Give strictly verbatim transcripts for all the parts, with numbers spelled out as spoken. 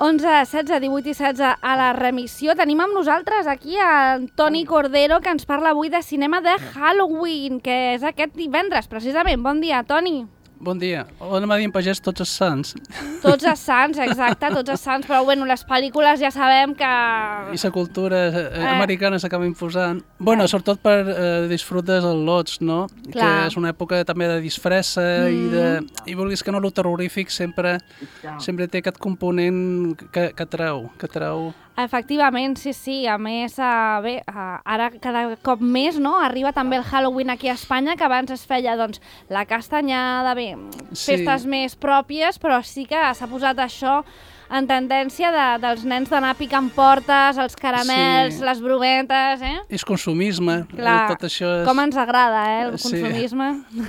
onze, setze, divuit i setze a la remissió. Tenim amb nosaltres aquí a Toni Cordero, que ens parla avui de cinema de Halloween, que és aquest divendres, precisament. Bon dia, Toni. Bon dia. O anem a dir en pagès tots els sants. Tots els sants, exacte, tots els sants, però bueno, les pel·lícules ja sabem que... I la cultura eh. americana s'acaba imposant. Bueno, eh. sobretot per eh, disfrutes al lots, no? Clar. Que és una època també de disfressa mm. i de... I vulguis que no, el terrorífic sempre, sempre té aquest component que, que treu, que treu... Efectivament, sí, sí. A més, uh, bé, uh, ara cada cop més, no?, arriba també el Halloween aquí a Espanya, que abans es feia, doncs, la castanyada, bé, sí. festes més pròpies, però sí que s'ha posat això en tendència de, dels nens d'anar picant portes, els caramels, sí. les brometes, eh? És consumisme. Clar, tot això és... com ens agrada, eh, el consumisme. Sí.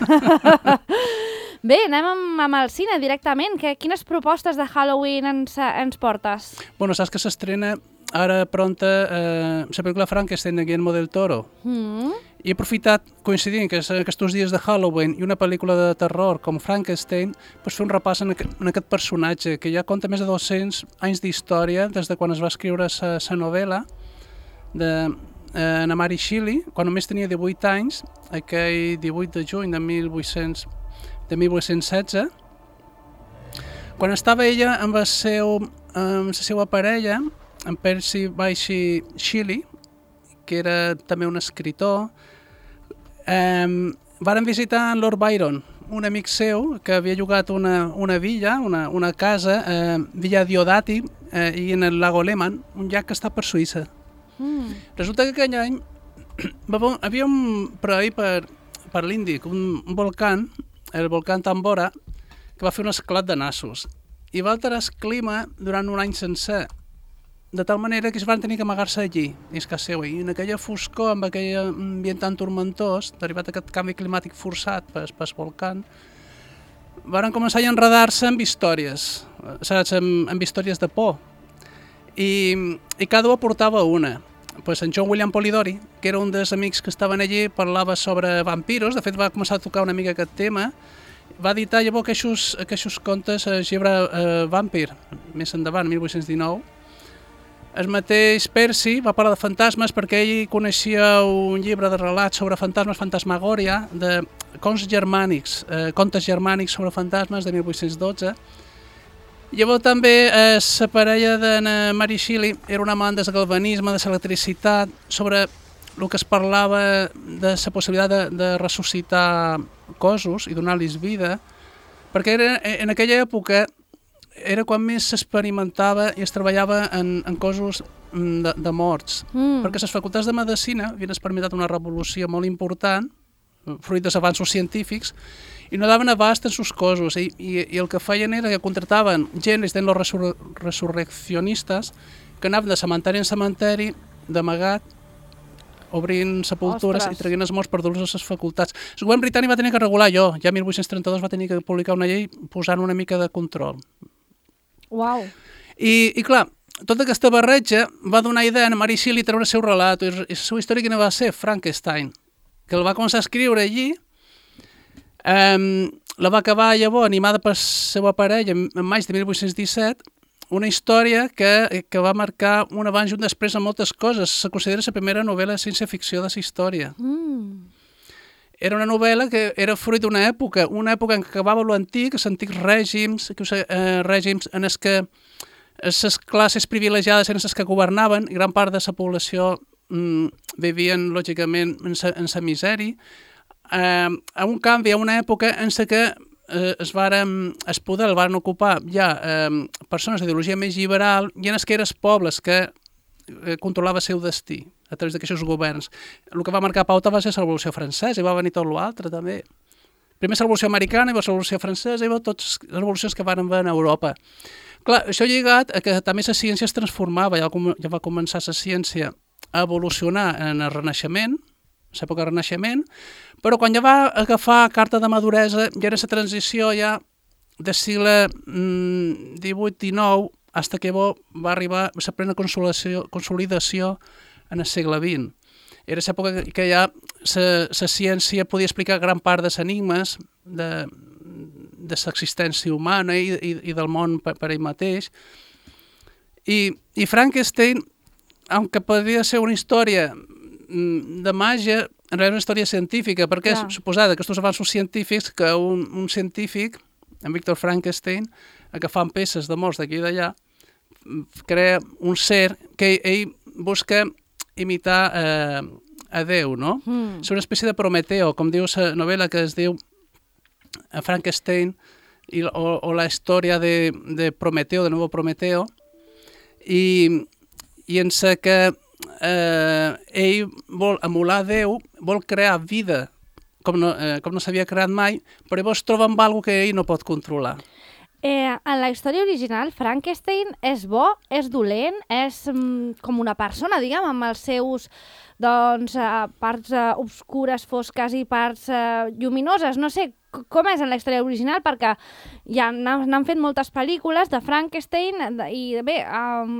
Bé, anem amb, amb el cine directament. Que, quines propostes de Halloween ens, ens portes? Bueno, saps que s'estrena ara pronta eh, la pel·lícula Frankenstein de Guillermo del Toro. Mm. I he aprofitat, coincidint que és aquests dies de Halloween i una pel·lícula de terror com Frankenstein, pues fer un repàs en aquest, en aquest personatge que ja conta més de dos-cents anys d'història des de quan es va escriure la novel·la de eh, na Mary Shelley, quan només tenia divuit anys, aquell divuit de juny de mil vuit-cents de mil vuit-cents setze, quan estava ella amb, el seu, amb la seva parella, en Percy Bysshe Shelley, que era també un escritor, eh, varen visitar en Lord Byron, un amic seu que havia llogat una, una villa, una, una casa, eh, Villa Diodati, eh, i en el lago Lehmann, un llac que està per Suïssa. Mm. Resulta que aquell any havia un, per ahir per, per l'Índic, un, un volcà, el volcà Tambora, que va fer un esclat de nassos i va alterar el clima durant un any sencer, de tal manera que es van tenir que amagar-se allí, dins casa seva, i en aquella foscor, amb aquell ambient tan turmentós, derivat d'aquest canvi climàtic forçat pel, pel volcà, van començar a enredar-se amb històries, saps, amb, amb històries de por, i, i cada un aportava una. Pues en John William Polidori, que era un dels amics que estaven allí, parlava sobre vampiros, de fet va començar a tocar una mica aquest tema, va editar llavors aquests, aquests contes a Llibre eh, Vampir, més endavant, mil vuit-cents dinou. El mateix Percy va parlar de fantasmes perquè ell coneixia un llibre de relats sobre fantasmes, Fantasmagòria, de contes germànics, eh, contes germànics sobre fantasmes de mil vuit-cents dotze. Llavors també eh, la parella de Mary Shelley era una amant del galvanisme, de l'electricitat, sobre el que es parlava de la possibilitat de, de ressuscitar cossos i donar-los vida, perquè era, en aquella època era quan més s'experimentava i es treballava en, en cossos de, de morts, mm. perquè les facultats de medicina havien experimentat una revolució molt important, fruit dels avanços científics, i no daven abast en sus cossos, i, i, i el que feien era que contractaven gent, els los resur resurreccionistes, que anaven de cementeri en cementeri, d'amagat, obrint sepultures Ostres. I traient els morts per dur-los a les facultats. El govern britànic va tenir que regular allò, ja mil vuit-cents trenta-dos va tenir que publicar una llei posant una mica de control. Uau! I, i clar, tota aquesta barreja va donar idea a Mary Shelley treure el seu relat, i la seva història quina va ser? Frankenstein, que el va començar a escriure allí. Um, la va acabar llavors, animada per la seva parella, en maig de mil vuit-cents disset, una història que, que va marcar un abans i un després en moltes coses. Se considera la primera novel·la de ciència-ficció de la història. Mm. Era una novel·la que era fruit d'una època, una època en què acabava l'antic, els antics règims, eh, règims en els que les classes privilegiades eren les que governaven i gran part de la població mm, vivien, lògicament, en la misèria. Eh, a un canvi, a una època en què eh, es, varen, es poder el van ocupar ja eh, persones d'ideologia més liberal i en els que eren els pobles que eh, controlava el seu destí a través d'aquests governs. El que va marcar pauta va ser la Revolució Francesa i va venir tot l'altre també. Primer la Revolució Americana i la Revolució Francesa i totes les revolucions que van haver en Europa. Clar, això lligat a que també la ciència es transformava, ja, ja va començar la ciència a evolucionar en el Renaixement, l'època del Renaixement, però quan ja va agafar carta de maduresa, ja era la transició ja del segle divuit dinou fins que va arribar la plena consolidació en el segle vint. Era l'època que ja la ciència podia explicar gran part dels enigmes de, de l'existència humana i, i, i del món per, per ell mateix. I, i Frankenstein, aunque podria ser una història de màgia, en realitat és una història científica, perquè Clar. és suposada que aquests avanços científics, que un, un científic, en Victor Frankenstein, agafant peces de morts d'aquí i d'allà, crea un ser que ell, ell busca imitar eh, a Déu, no? Mm. És una espècie de Prometeo, com diu la novel·la que es diu Frankenstein, i, o, o la història de, de Prometeo, de nuevo Prometeo, i, i en sa que eh, ell vol emular Déu, vol crear vida com no, eh, com no s'havia creat mai, però llavors troba amb alguna que ell no pot controlar. Eh, en la història original, Frankenstein és bo, és dolent, és mm, com una persona, diguem, amb els seus doncs, eh, parts eh, obscures, fosques i parts eh, lluminoses. No sé com és en la història original, perquè ja n'han fet moltes pel·lícules de Frankenstein i bé, um,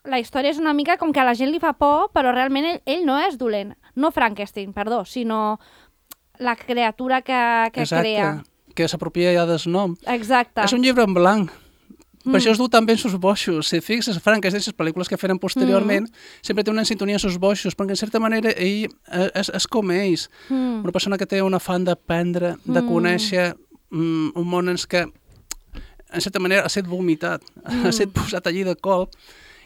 la història és una mica com que a la gent li fa por, però realment ell, ell no és dolent. No Frankenstein, perdó, sinó la criatura que, que Exacte. crea. Que s'apropia ja del nom. Exacte. És un llibre en blanc. Mm. Per això es du també en sus boixos. Si fixes, Frankenstein, les pel·lícules que feren posteriorment, mm. sempre té una sintonia en sus boixos, perquè en certa manera ell és, és com ells. Mm. Una persona que té un afany d'aprendre, de mm. conèixer mm, un món en què, en certa manera, ha estat vomitat, mm. ha estat posat allí de colp,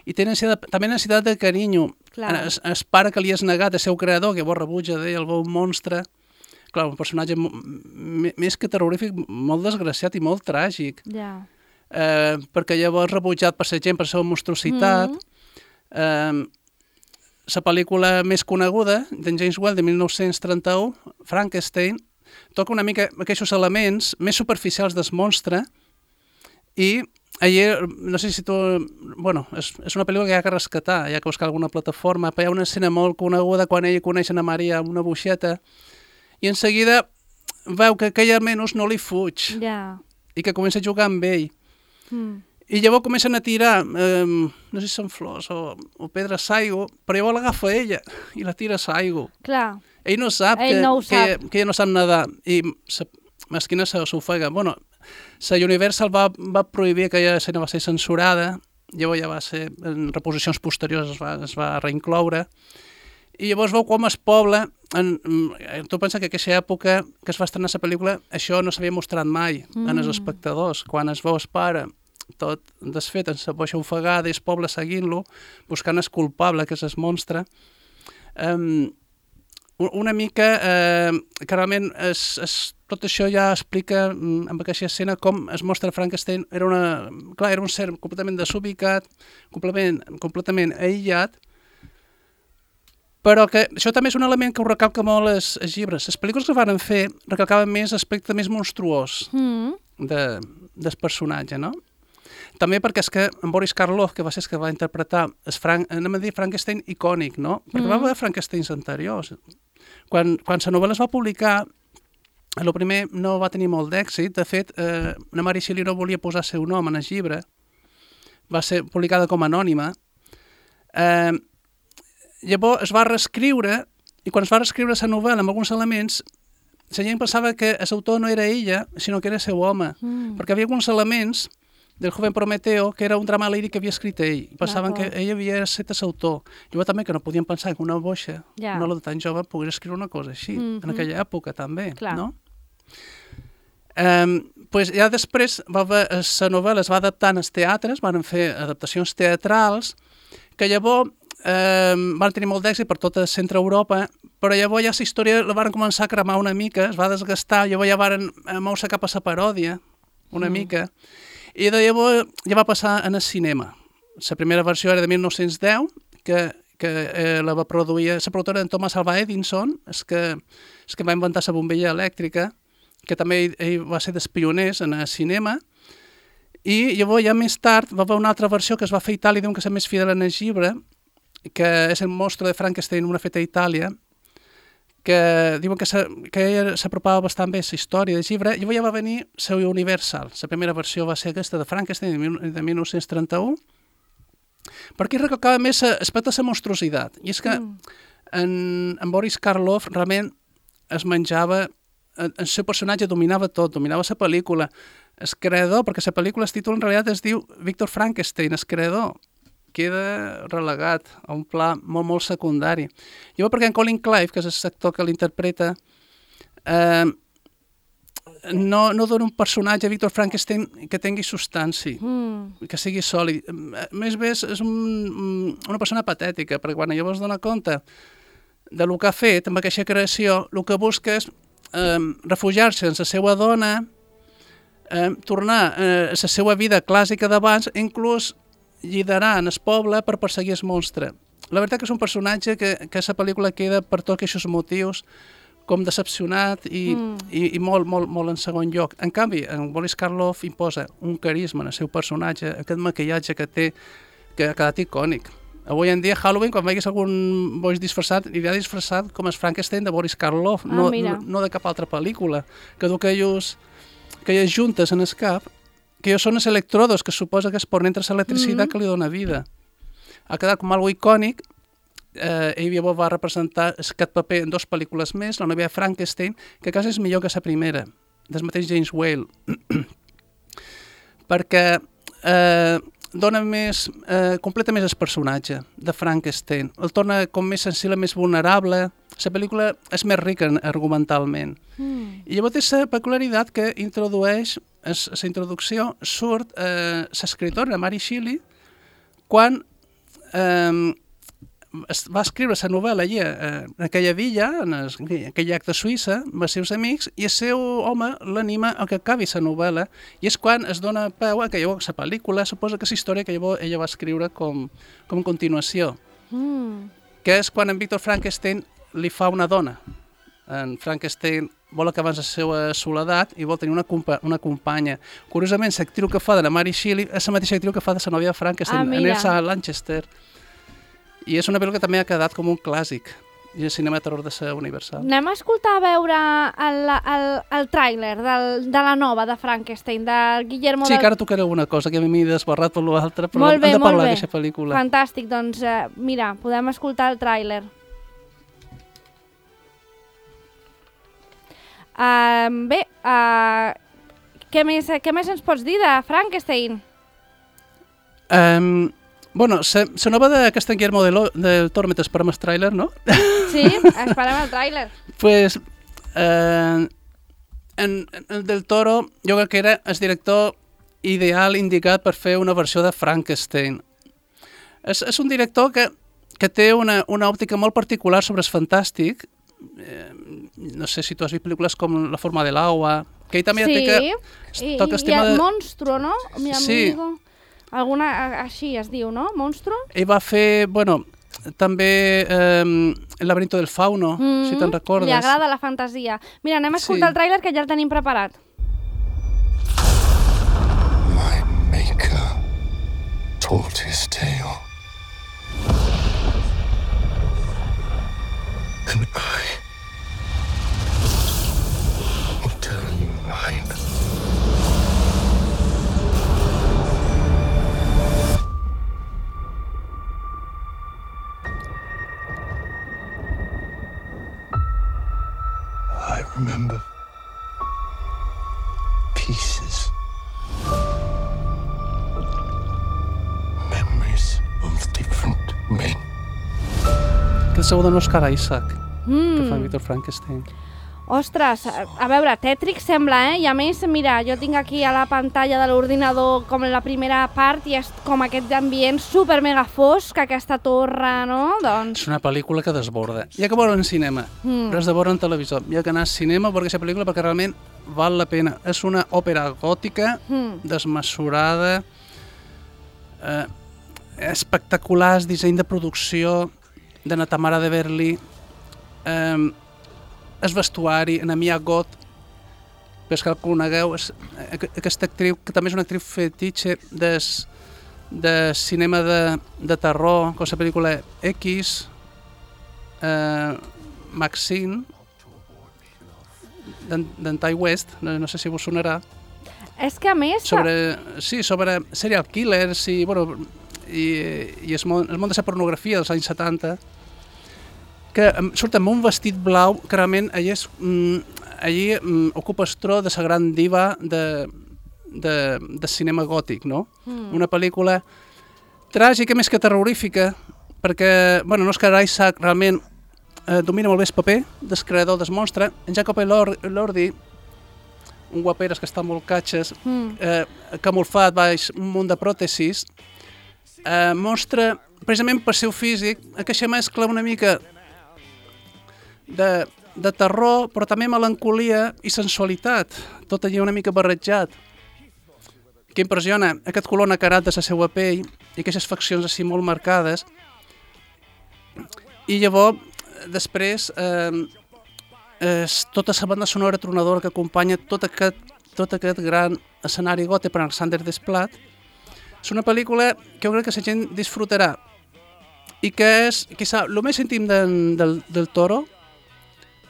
i té necessitat, també necessitat de carinyo. Es, es pare que li és negat el seu creador, que llavors rebutja d'ell, el veu un monstre. Clar, un personatge més que terrorífic, molt desgraciat i molt tràgic. Yeah. Eh, perquè llavors rebutjat per la gent per la seva monstruositat. Mm. Eh, la pel·lícula més coneguda, d'en James Whale, de mil nou-cents trenta-u, Frankenstein, toca una mica aquests elements més superficials del monstre i allà, no sé si tu... Bueno, és, és una pel·lícula que hi ha que rescatar, hi ha que buscar alguna plataforma, però hi ha una escena molt coneguda quan ella coneix a Maria amb una boixeta i en seguida veu que aquell almenys no li fuig yeah. i que comença a jugar amb ell. Mm. I llavors comencen a tirar, eh, no sé si són flors o, o pedres s'aigua, però llavors l'agafa ella i la tira s'aigua. Clar. Ell no sap, ell que, no que, sap. que ella no sap nedar i sa mesquina s'ofega. Bueno, la Universal va, va prohibir que aquella escena va ser censurada, llavors ja va ser, en reposicions posteriors es va, es va reincloure, i llavors veu com es pobla, en, tu pensa que en aquesta època que es va estrenar la pel·lícula, això no s'havia mostrat mai mm. en els espectadors, quan es veu es pare tot desfet en la boixa ofegada i el poble seguint-lo, buscant el culpable, que és el monstre, um, una mica, eh, que realment es, es, tot això ja explica mm, amb aquesta escena com es mostra Frankenstein, era, una, clar, era un ser completament desubicat, completament, completament aïllat, però que això també és un element que ho recalca molt els, els llibres. Les pel·lícules que van fer recalcaven més l'aspecte més monstruós mm. de, del personatge, no? També perquè és que en Boris Karloff, que va ser el que va interpretar el Frank, anem a dir Frankenstein icònic, no? Perquè mm. va haver Frankensteins anteriors. Quan, quan la novel·la es va publicar, el primer no va tenir molt d'èxit. De fet, eh, la Mary Shelley no volia posar el seu nom en el llibre. Va ser publicada com a anònima. Eh, llavors es va reescriure, i quan es va reescriure la novel·la amb alguns elements, la gent pensava que l'autor no era ella, sinó que era el seu home. Mm. Perquè havia alguns elements del joven Prometeo, que era un drama líric que havia escrit ell. Pensaven que ell havia estat l'autor. Llavors també que no podien pensar que una boixa, yeah. una de tan jove, pogués escriure una cosa així, mm-hmm. en aquella època també, Clar. no? Um, pues ja després va haver, la novel·la es va adaptar als teatres, van fer adaptacions teatrals, que llavors um, van tenir molt d'èxit per tota centre Europa, però llavors ja la història la van començar a cremar una mica, es va desgastar, llavors ja van moure cap a la paròdia, una mm. mica, i de llavors ja va passar en el cinema. La primera versió era de mil nou-cents deu, que, que eh, la va produir la productora en Thomas Alva Edison, és que, és que va inventar la bombilla elèctrica, que també ell, ell va ser dels pioners en el cinema, i llavors ja més tard va haver una altra versió que es va fer a Itàlia, diuen que és més fidel en el llibre, que és el monstre de Frankenstein, una feta a Itàlia, que diuen que s'apropava bastant bé la història del llibre. Llavors ja va venir la Universal. La primera versió va ser aquesta de Frankenstein de mil nou-cents trenta-u, perquè recalcava més l'aspecte de la monstruositat. I és que mm. en, en Boris Karloff realment es menjava, el seu personatge dominava tot, dominava la pel·lícula. El creador, perquè la pel·lícula, el títol en realitat es diu Victor Frankenstein, el creador, queda relegat a un pla molt, molt secundari. Llavors, perquè en Colin Clive, que és el actor que l'interpreta, eh, no, no dona un personatge a Victor Frankenstein que tingui substància, mm. que sigui sòlid. Més bé, és un, una persona patètica, perquè quan llavors dona compte de lo que ha fet amb aquesta creació, el que busca és eh, refugiar-se en la seva dona, eh, tornar a la seva vida clàssica d'abans, inclús liderar en el poble per perseguir el monstre. La veritat que és un personatge que, que a la pel·lícula queda per tots aquests motius com decepcionat i, mm. i, i molt, molt, molt en segon lloc. En canvi, en Boris Karloff imposa un carisma en el seu personatge, aquest maquillatge que té, que ha quedat icònic. Avui en dia, Halloween, quan veiguis algun boig disfressat, anirà disfressat com el Frankenstein de Boris Karloff, ah, no, no, no de cap altra pel·lícula, que du aquelles, aquelles juntes en el cap, que jo són els electrodos, que suposa que es ponen entre l'electricitat mm-hmm. que li dona vida. Ha quedat com algo icònic. Eh, ell llavors va representar aquest paper en dues pel·lícules més, la nova Frankenstein, que quasi és millor que la primera, del mateix James Whale. Perquè eh, dona més, eh, completa més el personatge de Frankenstein. El torna com més sensible, més vulnerable. La pel·lícula és més rica argumentalment. Mm. I llavors té la peculiaritat que introdueix, a la introducció, surt eh, l'escriptora Mary Shelley quan eh, va escriure la novel·la allà, eh, en aquella villa, en, el, en aquell llac de Suïssa, amb els seus amics, i el seu home l'anima a que acabi la novel·la, i és quan es dona peu a que llavors la pel·lícula suposa que és la història que llavors ella va escriure com, com a continuació, mm. que és quan en Victor Frankenstein li fa una dona. En Frankenstein vol acabar la seva soledat i vol tenir una, compa una companya. Curiosament, l'actriu que fa de la Mary Shelley és la mateixa actriu que fa de la nòvia de Frankenstein, ah, Elsa Lanchester. I és una pel·lícula que també ha quedat com un clàssic i el cinema de terror de ser universal. Anem a escoltar a veure el, el, el tràiler del, de la nova de Frankenstein, de Guillermo sí, del... que ara tocaré una cosa, que a mi m'he desbarrat per l'altre, però molt bé, hem de parlar d'aquesta pel·lícula. Fantàstic, doncs eh, mira, podem escoltar el tràiler. Uh, bé, uh, què, més, què més ens pots dir de Frankenstein? Um, bueno, la nova de Castan Guillermo del, del Toro, mentre esperem el tràiler, no? Sí, esperem el tràiler. Pues, uh, en, en Del Toro jo crec que era el director ideal indicat per fer una versió de Frankenstein. És, és un director que, que té una, una òptica molt particular sobre el fantàstic. Eh, no sé si tu has vist pel·lícules com La forma de l'agua, que ell també sí, té que... Sí, i, i el de... Monstro, no? Mi sí. amigo. Alguna, així es diu, no? Monstro? Ell va fer, bueno, també eh, El laberinto del fauno, mm -hmm. si te'n recordes. Li agrada la fantasia. Mira, anem a escoltar sí. el tràiler, que ja el tenim preparat. My maker told his tale. And I will tell you mine. I remember pieces. Memories of different men. Que el seu dona Oscar Isaac, mm. que fa Victor Frankenstein. Ostres, a veure, tètric sembla, eh? I a més, mira, jo tinc aquí a la pantalla de l'ordinador com la primera part i és com aquest ambient super mega fosc, aquesta torre, no? Doncs... És una pel·lícula que desborda. Hi ha que veure en cinema, mm. però es desborda en televisor. Hi ha que anar al cinema per aquesta pel·lícula perquè realment val la pena. És una òpera gòtica, mm. desmesurada, eh, espectaculars, disseny de producció de na Tamara de Berli, eh, el vestuari, en Mia Goth, però que el conegueu, és, aquesta actriu, que també és una actriu fetitxe des, de cinema de, de terror, com la pel·lícula X, eh, Maxine, d'en Ty West, no, no sé si vos sonarà. És que a més... Sobre, sí, sobre serial killers i, bueno, i, i el, món, el món de la pornografia dels anys setanta, que surt amb un vestit blau que realment allí, és, mm, allí mm, ocupa el tro de la gran diva de, de, de cinema gòtic, no? Mm. Una pel·lícula tràgica més que terrorífica, perquè, bueno, no és que Isaac realment eh, domina molt bé el paper del creador del monstre. En Jacob Elordi, un guaperes que està molt catxes, mm. eh, camuflat baix un munt de pròtesis, eh, mostra, precisament per seu físic, aquesta mescla una mica de, de terror, però també melancolia i sensualitat, tot allà una mica barrejat, que impressiona aquest color nacarat de la seva pell i aquestes faccions així molt marcades. I llavors, després, eh, és tota la banda sonora tronadora que acompanya tot aquest, tot aquest gran escenari gòtic per Alexander Desplat. És una pel·lícula que jo crec que la gent disfrutarà i que és, quizà, el més íntim del, del, del Toro,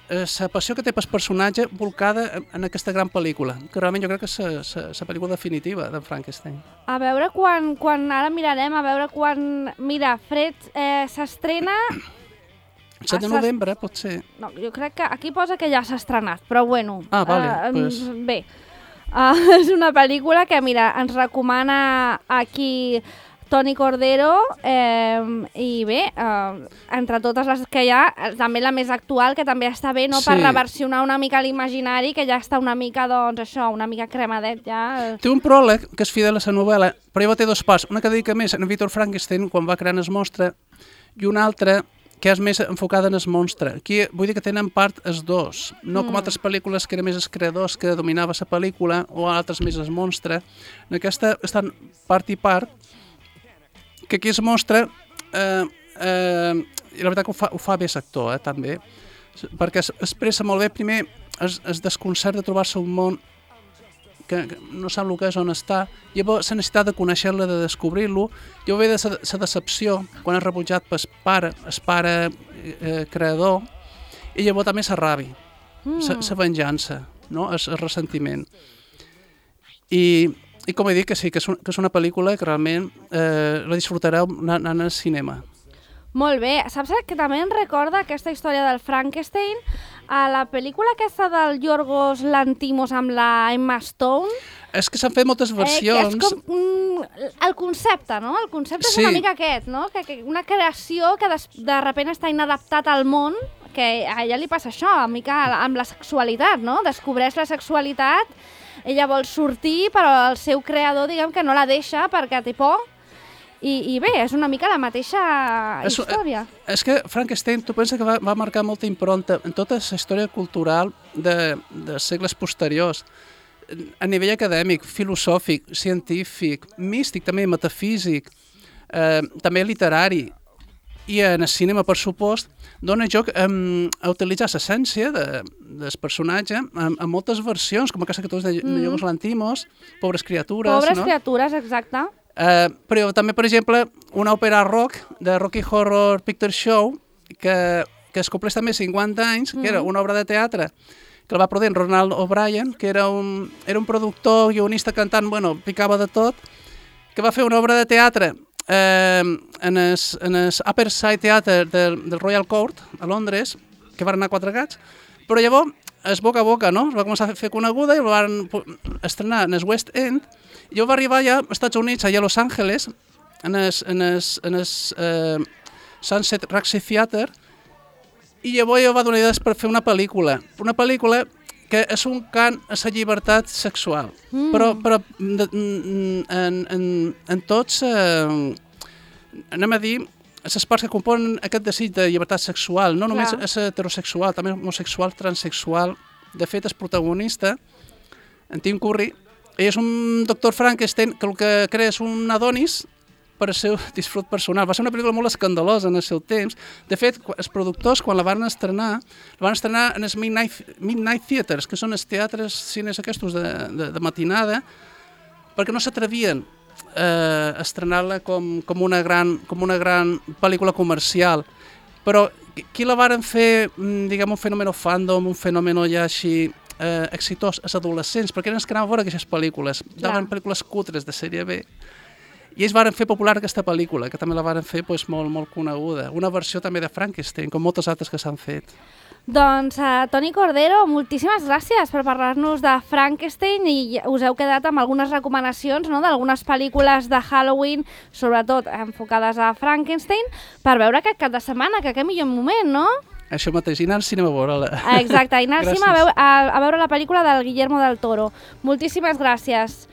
és la passió que té pel personatge volcada en aquesta gran pel·lícula, que realment jo crec que és la pel·lícula definitiva de Frankenstein. A veure quan, quan ara mirarem, a veure quan... Mira, Fred eh, s'estrena... set de novembre, pot ser. No, jo crec que aquí posa que ja s'ha estrenat, però bueno. Ah, vale, uh, pues... Bé, uh, és una pel·lícula que, mira, ens recomana aquí Toni Cordero eh, i bé, eh, entre totes les que hi ha, també la més actual, que també està bé, no? Sí. Per reversionar una mica l'imaginari, que ja està una mica, doncs, això, una mica cremadet, ja. Té un pròleg que és fidel a la novel·la, però ja té dos parts, una que dedica més a Víctor Frankenstein, quan va crear el monstre, i una altra que és més enfocada en el monstre. Aquí vull dir que tenen part els dos, no com mm. altres pel·lícules que eren més els creadors que dominava la pel·lícula, o altres més el monstre. En aquesta estan part i part, que aquí es mostra, eh, eh, i la veritat que ho fa, ho fa bé l'actor, eh, també, perquè es expressa molt bé, primer, es, es desconcert de trobar-se un món que, que no sap el que és, on està, llavors la necessitat de conèixer-lo, de descobrir-lo, llavors ve de la decepció, quan és rebutjat pel pare, el pare eh, creador, i llavors també la ràbia, la mm. venjança, no? el, el ressentiment. I... I com he dit, que sí, que és, un, que és una pel·lícula que realment eh, la disfrutareu anant al cinema. Molt bé. Saps que també em recorda aquesta història del Frankenstein a la pel·lícula aquesta del Yorgos Lanthimos amb la Emma Stone? És que s'han fet moltes versions. Eh, és com mm, el concepte, no? El concepte sí. És una mica aquest, no? Que, que una creació que de, de repent està inadaptat al món, que a ella li passa això, a mica amb la sexualitat, no? Descobreix la sexualitat, ella vol sortir, però el seu creador, diguem que no la deixa perquè té por. I, i bé, és una mica la mateixa és, història. És que Frankenstein, tu penses que va, va marcar molta impronta en tota la història cultural de, de segles posteriors, a nivell acadèmic, filosòfic, científic, místic, també metafísic, eh, també literari, i en el cinema, per supost, dona joc um, a utilitzar l'essència de, del personatge en, en moltes versions, com aquesta que tu has de mm. Yorgos Lanthimos, Pobres criatures, Pobres no? criatures, exacte. Uh, però també, per exemple, una òpera rock de Rocky Horror Picture Show, que, que es compleix també cinquanta anys, mm. que era una obra de teatre que el va produir Ronald O'Brien, que era un, era un productor, guionista, cantant, bueno, picava de tot, que va fer una obra de teatre Eh, en el en Upper Side Theatre del, del Royal Court a Londres, que van anar quatre gats, però llavors es boca a boca, no? Es va començar a fer coneguda i el van estrenar en el West End, i llavors va arribar ja als Estats Units, allà a Los Angeles, en el, en el, en el eh, Sunset Roxy Theatre, i llavors ja va donar idees per fer una pel·lícula, una pel·lícula que és un cant a la llibertat sexual, mm. però, però de, en, en, en tots, eh, anem a dir, les parts que componen aquest desig de llibertat sexual, no només Clar. És heterosexual, també homosexual, transsexual. De fet, el protagonista, en Tim Curry, ell és un doctor Frankenstein que el que crea és un Adonis per al seu disfrut personal. Va ser una pel·lícula molt escandalosa en el seu temps. De fet, els productors, quan la van estrenar, la van estrenar en els Midnight, Midnight Theatres, que són els teatres, cines aquests de, de, de matinada, perquè no s'atrevien eh, a estrenar-la com, com, una gran, com una gran pel·lícula comercial. Però qui la varen fer, diguem, un fenomen fandom, un fenomen ja així eh, exitós, els adolescents, perquè eren els que anaven a veure aquestes pel·lícules. Daven pel·lícules cutres de sèrie B. I ells varen fer popular aquesta pel·lícula, que també la varen fer pues, molt, molt coneguda. Una versió també de Frankenstein, com moltes altres que s'han fet. Doncs, uh, Toni Cordero, moltíssimes gràcies per parlar-nos de Frankenstein i us heu quedat amb algunes recomanacions, no?, d'algunes pel·lícules de Halloween, sobretot enfocades a Frankenstein, per veure aquest cap de setmana, que aquest millor moment, no? Això mateix, i anar al cinema a veure-la. Exacte, i anar al cinema a veure, a, a veure la pel·lícula del Guillermo del Toro. Moltíssimes gràcies.